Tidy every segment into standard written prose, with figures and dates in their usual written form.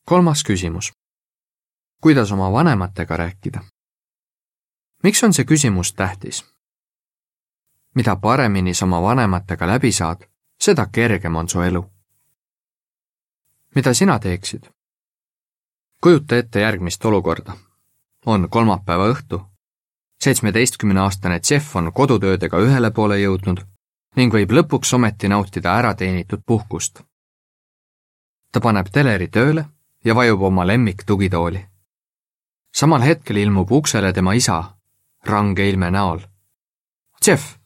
3. küsimus. Kuidas oma vanematega rääkida? Miks on see küsimus tähtis? Mida paremini sa oma vanematega läbi saad, seda kergem on su elu. Mida sina teeksid? Kujuta ette järgmist olukorda. On kolmapäeva õhtu. 17-aastane Jeff on kodutöödega ühele poole jõudnud ning võib lõpuks ometi nautida ärateenitud puhkust. Ta paneb teleri tööle ja vajub oma lemmik tugitooli. Samal hetkel ilmub uksele tema isa, range ilme näol. Jeff,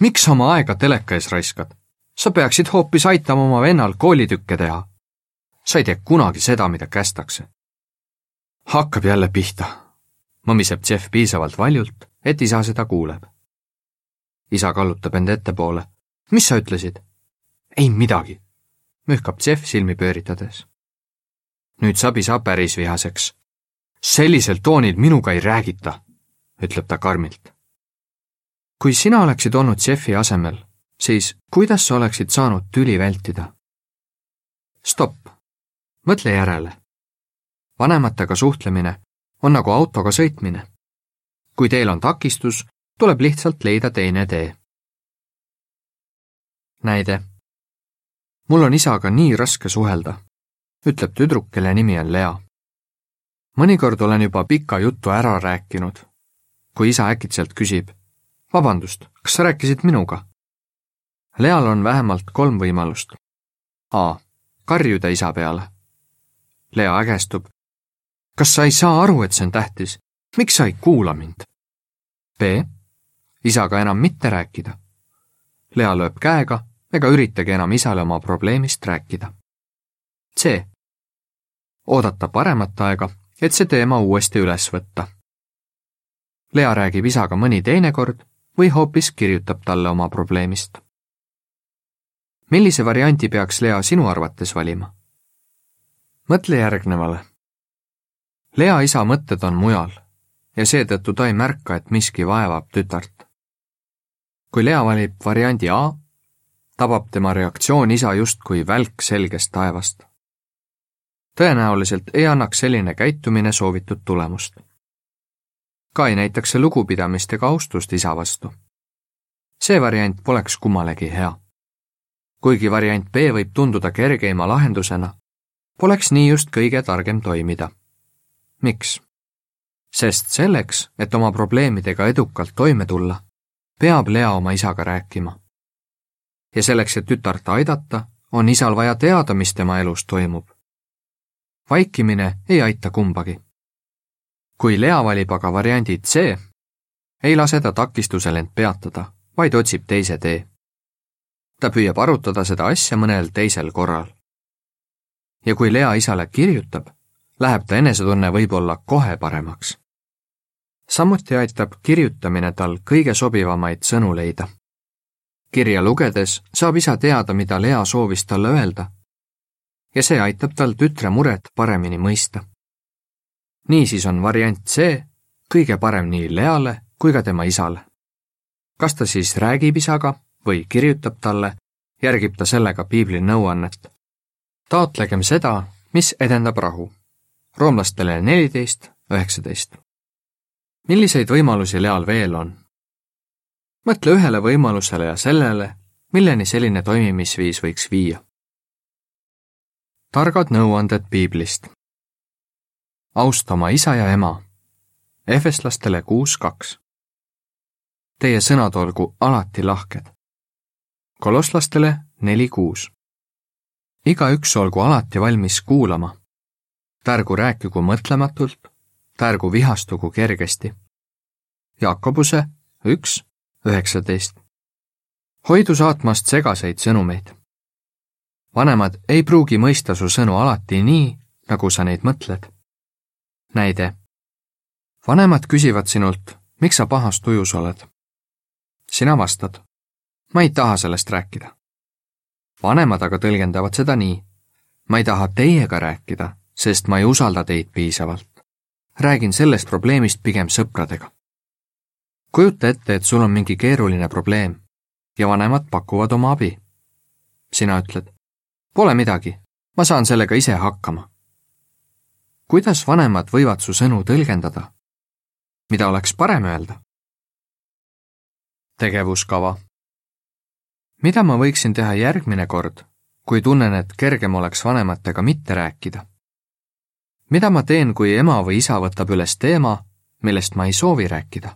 miks oma aega teleka ees raiskad? Sa peaksid hoopis aitama oma vennal koolitükke teha. Sa ei tee kunagi seda, mida kästakse. Hakkab jälle pihta. Mõmiseb Jeff piisavalt valjult, et isa seda kuuleb. Isa kallutab end ettepoole. Mis sa ütlesid? Ei midagi, mühkab Jeff silmi pööritades. Nüüd saab isa päris vihaseks. Sellisel toonil minuga ei räägita, ütleb ta karmilt. Kui sina oleksid olnud Jeffi asemel, siis kuidas sa oleksid saanud tüli vältida? Stopp, mõtle järele. Vanematega suhtlemine on nagu autoga sõitmine. Kui teel on takistus, tuleb lihtsalt leida teine tee. Näide. Mul on isaga nii raske suhelda, ütleb tüdruk, kelle nimi on Lea. Mõnikord olen juba pika juttu ära rääkinud, kui isa äkitselt küsib, vabandust, kas sa rääkisid minuga? Leal on vähemalt 3 võimalust. A. Karjuda isa peale. Lea ägestub. Kas sa ei saa aru, et see on tähtis? Miks sa ei kuula mind? B. Isaga enam mitte rääkida. Lea lööb käega ega üritagi enam isale oma probleemist rääkida. C. Oodata paremat aega, et see teema uuesti üles võtta. Lea räägib isaga mõni teine kord või hoopis kirjutab talle oma probleemist. Millise varianti peaks Lea sinu arvates valima? Mõtle järgnevale. Lea isa mõtted on mujal ja seetõttu ta ei märka, et miski vaevab tütart. Kui Lea valib variandi A, tabab tema reaktsioon isa justkui välk selgest taevast. Tõenäoliselt ei annaks selline käitumine soovitud tulemust. Ka ei näitaks see lugupidamist ega austust isa vastu. See variant poleks kummalegi hea. Kuigi variant B võib tunduda kergeima lahendusena, poleks nii just kõige targem toimida. Miks? Sest selleks, et oma probleemidega edukalt toime tulla, peab Lea oma isaga rääkima. Ja selleks, et tütart aidata, on isal vaja teada, mis tema elus toimub. Vaikimine ei aita kumbagi. Kui Lea valib aga variandi C, ei lase ta takistusel end peatada, vaid otsib teise tee. Ta püüab arutada seda asja mõnel teisel korral. Ja kui Lea isale kirjutab, läheb ta enesetunne võib-olla kohe paremaks. Samuti aitab kirjutamine tal kõige sobivamaid sõnu leida. Kirja lugedes saab isa teada, mida Lea soovis talle öelda, ja see aitab tal tütre muret paremini mõista. Niisiis on variant C kõige parem nii Leale kui ka tema isale. Kas ta siis räägib isaga või kirjutab talle, järgib ta sellega piibli nõuannet. Taotlegem seda, mis edendab rahu. Roomlastele 14:19. Milliseid võimalusi Leal veel on? Mõtle ühele võimalusele ja sellele, milleni selline toimimisviis võiks viia. Targad nõuanded piiblist. Austa oma isa ja ema. Efeslastele 6:2. Teie sõnad olgu alati lahked. Kolosslastele 4:6. Igaüks olgu alati valmis kuulama. Tärgu rääkigu mõtlematult, tärgu vihastugu kergesti. Jakobuse 1:19. Hoidu saatmast segaseid sõnumeid. Vanemad ei pruugi mõista su sõnu alati nii, nagu sa neid mõtled. Näide. Vanemad küsivad sinult, miks sa pahas tujus oled. Sina vastad, ma ei taha sellest rääkida. Vanemad aga tõlgendavad seda nii, ma ei taha teiega rääkida, sest ma ei usalda teid piisavalt. Räägin sellest probleemist pigem sõpradega. Kujuta ette, et sul on mingi keeruline probleem ja vanemad pakuvad oma abi. Sina ütled, pole midagi, ma saan sellega ise hakkama. kuidas vanemad võivad su sõnu tõlgendada? Mida oleks parem öelda? Tegevuskava. Mida ma võiksin teha järgmine kord, kui tunnen, et kergem oleks vanematega mitte rääkida? Mida ma teen, kui ema või isa võtab üles teema, millest ma ei soovi rääkida?